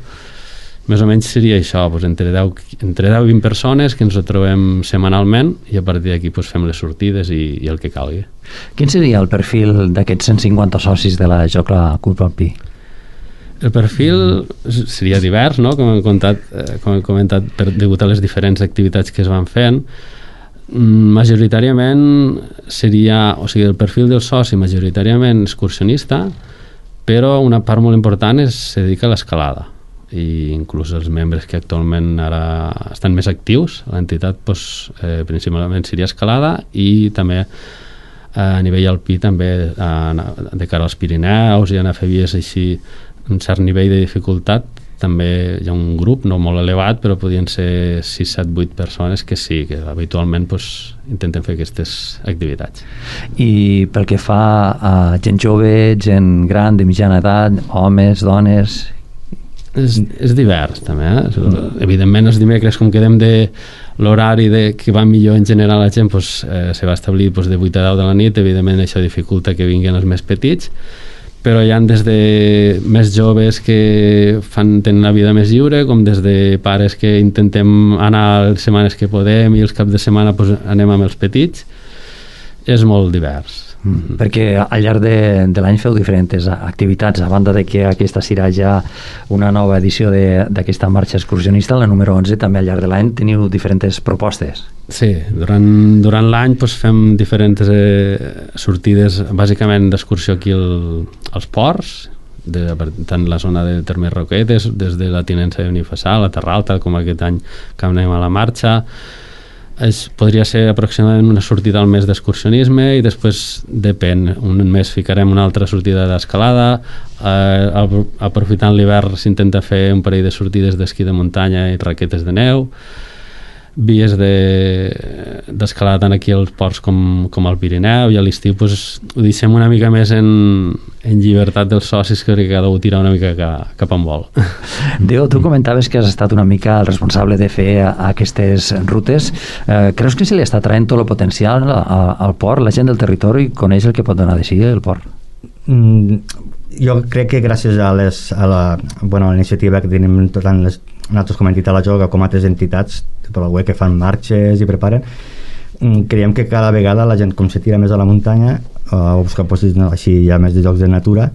Més o menys seria això, doncs entre 10 i 20 persones que ens ho trobem setmanalment, i a partir d'aquí doncs fem les sortides i el que calgui. Quin seria el perfil d'aquests 150 socis de la Jocla Club Alpí? El perfil seria divers, no? Com he comentat, degut a les diferents activitats que es van fent. Majoritàriament seria, o sigui, el perfil del soci majoritàriament excursionista, però una part molt important se dedica a l'escalada, i inclús els membres que actualment ara estan més actius a l'entitat, doncs, principalment seria escalada, i també a nivell alpí també de cara als Pirineus i anar a fer vies així un cert nivell de dificultat. També hi ha un grup no molt elevat, però podien ser 6, 7, 8 persones que sí, que habitualment doncs, intenten fer aquestes activitats. I pel que fa a gent jove, gent gran, de mitjana edat, homes, dones... És divers també, evidentment els dimecres, com quedem de l'horari que va millor en general la gent, doncs, se va establir doncs, de 8 a 10 de la nit. Evidentment això dificulta que vinguin els més petits, però hi ha des de més joves que tenen la vida més lliure, com des de pares que intentem anar les setmanes que podem i els caps de setmana doncs, anem amb els petits. És molt divers. Perquè al llarg de l'any feu diferents activitats, a banda de que aquesta serà ja una nova edició d'aquesta marxa excursionista, la número 11, també al llarg de l'any teniu diferents propostes. Sí, durant l'any doncs, fem diferents sortides bàsicament d'excursió aquí als ports, tant la zona de Termes Roquetes, des de la Tinença de Benifassà, la Terra Alta, com aquest any que anem a la marxa. Podria ser aproximadament una sortida al mes d'excursionisme, i després depèn, un mes ficarem una altra sortida d'escalada, aprofitant l'hivern s'intenta fer un parell de sortides d'esquí de muntanya i raquetes de neu, vies d'escalada tant aquí als ports com al Pirineu, i a l'estiu doncs, ho deixem una mica més en llibertat dels socis, que cada un tira una mica cap on vol. Déu, tu comentaves que has estat una mica el responsable de fer aquestes rutes. Creus que se li està traient tot el potencial al port? La gent del territori coneix el que pot donar de si el port? Jo crec que gràcies a la iniciativa que tenim tant nosaltres com a entitat La Jocla com altres entitats per la web que fan marxes i preparen, creiem que cada vegada la gent com se tira més a la muntanya o buscar llocs així ja més de llocs de natura,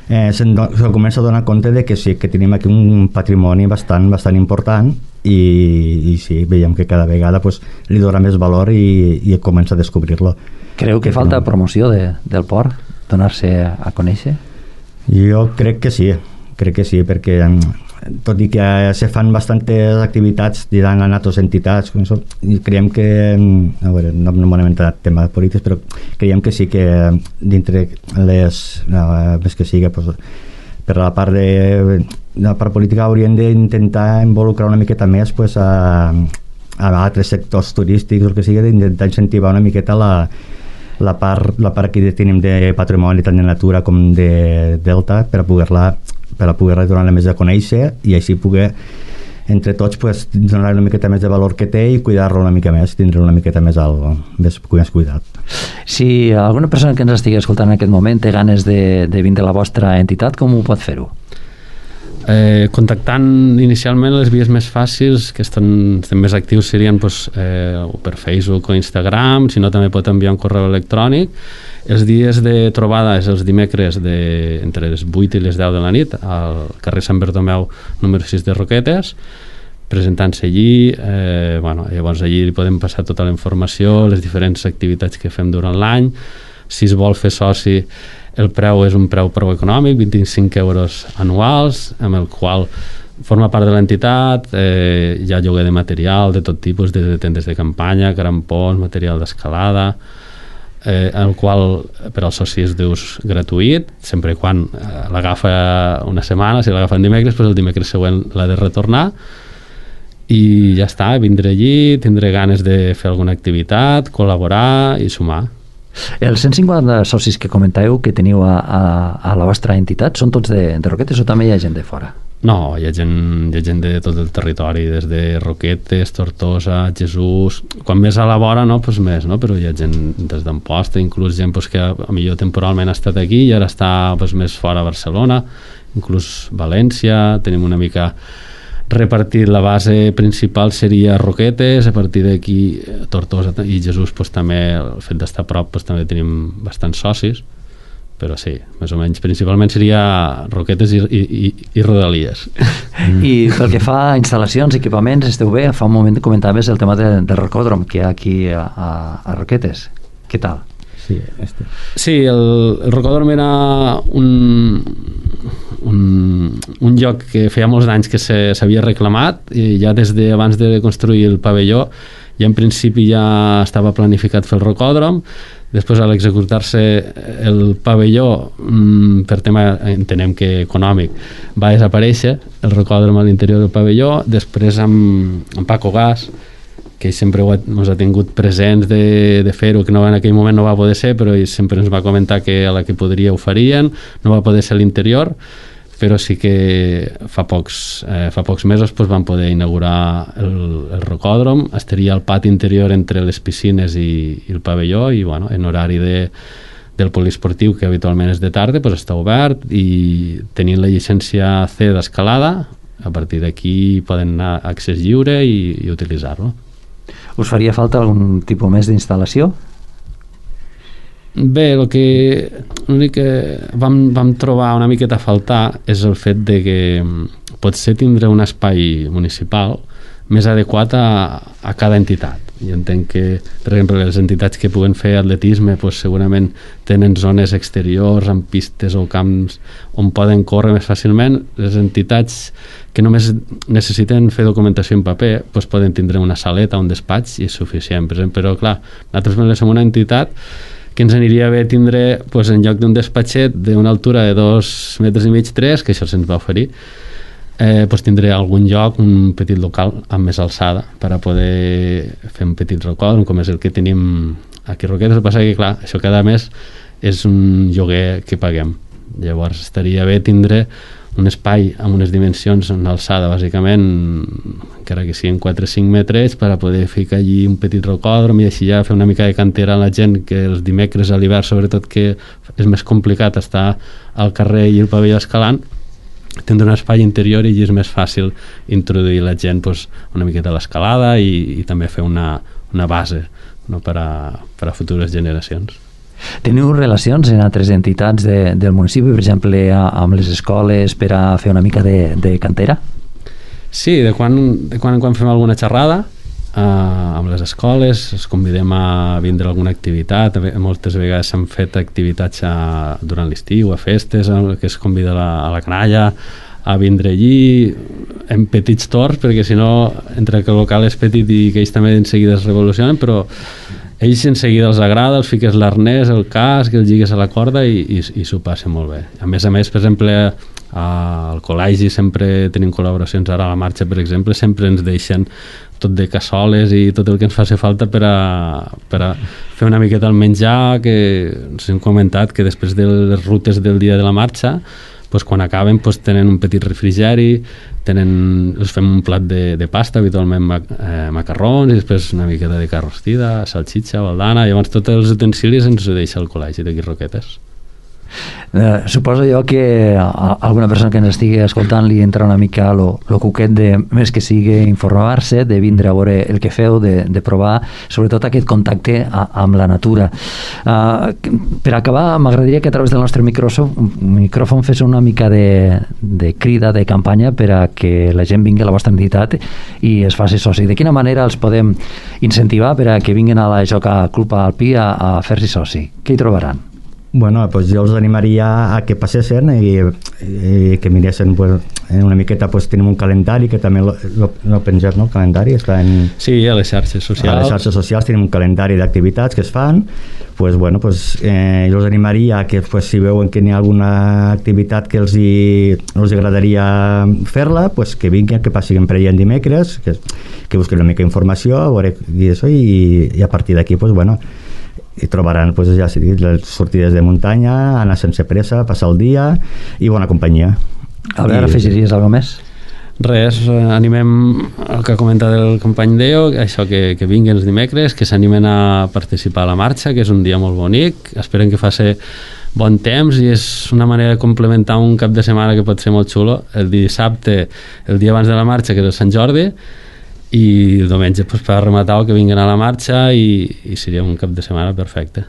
se comença a donar compte de que sí, que tenim aquí un patrimoni bastant important, i sí, veiem que cada vegada pues, li dona més valor i comença a descobrir-lo. Creu que falta promoció del port? Donar-se a conèixer? Jo crec que sí, perquè tot i que se fan bastantes activitats dirant a altres entitats, i creiem que, a veure, no m'hem entrat en temes polítics, però creiem que sí que dintre més que sigui per la part política hauríem d'intentar involucrar una miqueta més a altres sectors turístics o el que sigui, d'intentar incentivar una miqueta la part que tenim de patrimoni tant de natura com de delta per a poder donar-la més a conèixer, i així poder entre tots donar una miqueta més de valor que té i cuidar-lo una mica més, tindre una miqueta més cuidat. Si alguna persona que ens estigui escoltant en aquest moment té ganes de vindre a la vostra entitat, com ho pot fer-ho? Contactant inicialment les vies més fàcils que estan més actius serien per Facebook o Instagram, si no també pot enviar un correu electrònic. Els dies de trobada és els dimecres entre les 8 i les 10 de la nit al carrer Sant Bartomeu número 6 de Roquetes, presentant-se allí. Llavors allí podem passar tota la informació, les diferents activitats que fem durant l'any. Si es vol fer soci, el preu és un preu econòmic, 25 euros anuals, amb el qual forma part de l'entitat. Hi ha lloguer de material de tot tipus, des de tendes de campanya, crampons, material d'escalada, el qual per als socis és d'ús gratuït, sempre quan l'agafa una setmana. Si l'agafen dimecres, el dimecres següent l'ha de retornar. i ja està, vindré allí, tindré ganes de fer alguna activitat, col·laborar i sumar. Els 150 socis que comentàveu que teniu a la vostra entitat són tots de Roquetes o també hi ha gent de fora? No, hi ha gent de tot el territori, des de Roquetes, Tortosa, Jesús... Quan més a la vora, no, doncs més, no? Però hi ha gent des d'Amposta, inclús gent doncs, que millor temporalment ha estat aquí i ara està doncs, més fora a Barcelona, inclús València, tenim una mica repartit. La base principal seria Roquetes, a partir d'aquí Tortosa i Jesús doncs, també, el fet d'estar a prop doncs, també tenim bastants socis, però sí, més o menys principalment seria Roquetes i Rodalies. I pel que fa a instal·lacions, equipaments, esteu bé? Fa un moment comentaves el tema del rocòdrom que hi ha aquí a Roquetes. Què tal? Sí, el rocòdrom era un lloc que feia molts anys que s'havia reclamat i ja des d'abans de construir el pavelló ja en principi ja estava planificat fer el rocòdrom. Després, a l'executar-se el pavelló, per tema, entenem que econòmic, va desaparèixer el rocòdrom a l'interior del pavelló. Després, amb Paco Gas, que sempre ens ha tingut presents de fer-ho, que en aquell moment no va poder ser, però sempre ens va comentar que a la que podria ho farien. No va poder ser a l'interior, però sí que fa pocs mesos doncs, van poder inaugurar el rocòdrom. Estaria al pati interior entre les piscines i el pavelló i bueno, en horari del poliesportiu, que habitualment és de tarda, doncs està obert i tenint la llicència C d'escalada, a partir d'aquí poden anar a accés lliure i utilitzar-lo. Us faria falta algun tipus més d'instal·lació? Bé, l'únic que vam trobar una miqueta a faltar és el fet de que potser tindre un espai municipal més adequat a cada entitat. Jo entenc que, per exemple, les entitats que puguen fer atletisme doncs segurament tenen zones exteriors amb pistes o camps on poden córrer més fàcilment. Les entitats que només necessiten fer documentació en paper doncs poden tindre una saleta, un despatx i és suficient. Però clar, nosaltres som una entitat que ens aniria bé tindre doncs, en lloc d'un despatxet d'una altura de 2,5 metres, 3, que això se'ns va oferir, doncs tindré algun lloc, un petit local amb més alçada per a poder fer un petit rocòdrom com és el que tenim aquí a Roquetes. El que passa que clar, això cada mes és un lloguer que paguem, llavors estaria bé tindre un espai amb unes dimensions, una alçada bàsicament, encara que siguin 4 o 5 metres, per a poder ficar allí un petit rocòdrom i així ja fer una mica de cantera a la gent, que els dimecres a l'hivern sobretot que és més complicat estar al carrer i el pavelló escalant, tindre un espai interior i és més fàcil introduir la gent doncs, una miqueta a l'escalada i també fer una base, no, per a futures generacions. Teniu relacions en altres entitats del municipi, per exemple amb les escoles per a fer una mica de cantera? Sí, de quan en quan fem alguna xerrada amb les escoles, els convidem a vindre a alguna activitat. Moltes vegades s'han fet activitats durant l'estiu, a festes, que es convida a la canalla a vindre allí en petits torns, perquè si no, entre que el local és petit i que ells també en seguida es revolucionen, però ells en seguida els agrada, els fiques l'arnès, el casc, els lligues a la corda i s'ho passa molt bé. A més, per exemple, al col·legi sempre tenim col·laboracions. Ara a la marxa, per exemple, sempre ens deixen tot de cassoles i tot el que ens faci falta per a fer una miqueta el menjar, que ens hem comentat que després de les rutes del dia de la marxa, doncs quan acaben doncs tenen un petit refrigeri, els fem un plat de pasta, habitualment macarrons, i després una miqueta de carn rostida, salxitxa, baldana, i llavors tots els utensilis ens ho deixa el col·legi d'aquí Roquetes. Suposo jo que a alguna persona que ens estigui escoltant li entra una mica lo cuquet de més que sigui informar-se, de vindre a veure el que feu, de provar sobretot aquest contacte amb la natura. Per acabar, m'agradaria que a través del nostre micròfon fes una mica de crida, de campanya per a que la gent vingui a la vostra entitat i es faci soci. De quina manera els podem incentivar per a que vinguin a la Joca Club Alpí a fer-s'hi soci? Què hi trobaran? Bueno, pues jo els animaria a que passessin i que miressin pues, una miqueta, pues, tenim un calendari que també lo pengem, no? El calendari està en... Sí, a les xarxes socials. A les xarxes socials tenim un calendari d'activitats que es fan, pues, bueno, pues, jo els animaria a que pues, si veuen que hi ha alguna activitat que els agradaria fer-la, pues, que vinguin, que passin per allà en dimecres, que busquen una mica d'informació, a veure i a partir d'aquí, pues, bueno, i trobaran pues, ja les sortides de muntanya, anar sense pressa, passar el dia i bona companyia. Albert, afegiries alguna més? Res, animem el que ha comentat el company Deo, això que vinguin els dimecres, que s'animen a participar a la marxa, que és un dia molt bonic, esperen que faci bon temps i és una manera de complementar un cap de setmana que pot ser molt xulo, el dissabte, el dia abans de la marxa, que és el Sant Jordi, i el diumenge pues, per rematar que vinguin a la marxa i seria un cap de setmana perfecte.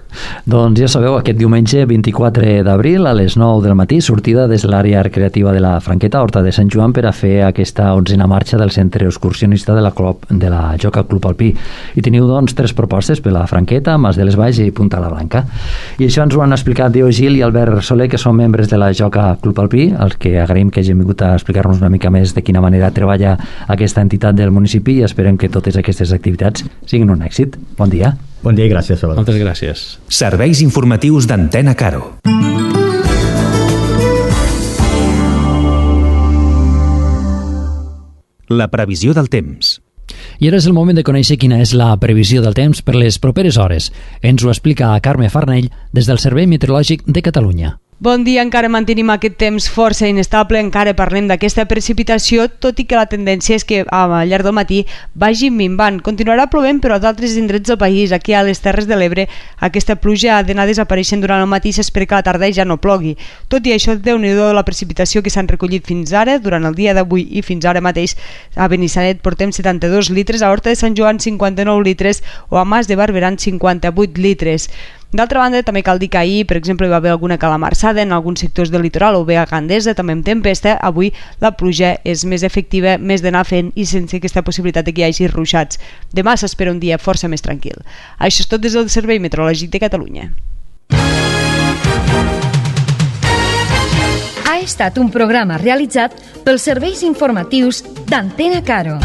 Doncs ja sabeu, aquest diumenge 24 d'abril a les 9 del matí, sortida des de l'àrea recreativa de la Franqueta, Horta de Sant Joan, per a fer aquesta 11a marxa del centre excursionista de la Joca Club Alpí. I teniu doncs 3 propostes per la Franqueta, Mas de les Valls i Punta la Blanca. I això ens ho han explicat Deo Gil i Albert Soler, que són membres de la Joca Club Alpí, els que agraïm que hagin vingut a explicar-nos una mica més de quina manera treballa aquesta entitat del municipi i esperem que totes aquestes activitats siguin un èxit. Bon dia. Bon dia i gràcies. Moltes gràcies. Serveis informatius d'Antena Caro. La previsió del temps. I ara és el moment de conèixer quina és la previsió del temps per les properes hores. Ens ho explica Carme Farnell des del Servei Meteorològic de Catalunya. Bon dia, encara mantenim aquest temps força inestable, encara parlem d'aquesta precipitació, tot i que la tendència és que al llarg del matí vagi minvant. Continuarà plovent, però a d'altres indrets del país, aquí a les Terres de l'Ebre, aquesta pluja ha d'anar desapareixent durant el matí, s'espera que a la tarda ja no plogui. Tot i això, Déu-n'hi-do la precipitació que s'han recollit fins ara, durant el dia d'avui i fins ara mateix a Benissanet portem 72 litres, a Horta de Sant Joan 59 litres o a Mas de Barberà 58 litres. D'altra banda, també cal dir que ahir, per exemple, hi va haver alguna calamarsada en alguns sectors del litoral o bé a Gandesa, també amb tempesta. Avui la pluja és més efectiva, més d'anar fent i sense aquesta possibilitat de que hi hagi ruixats. Demà s'espera un dia força més tranquil. Això és tot des del Servei Meteorològic de Catalunya. Ha estat un programa realitzat pels serveis informatius d'Antena Caro.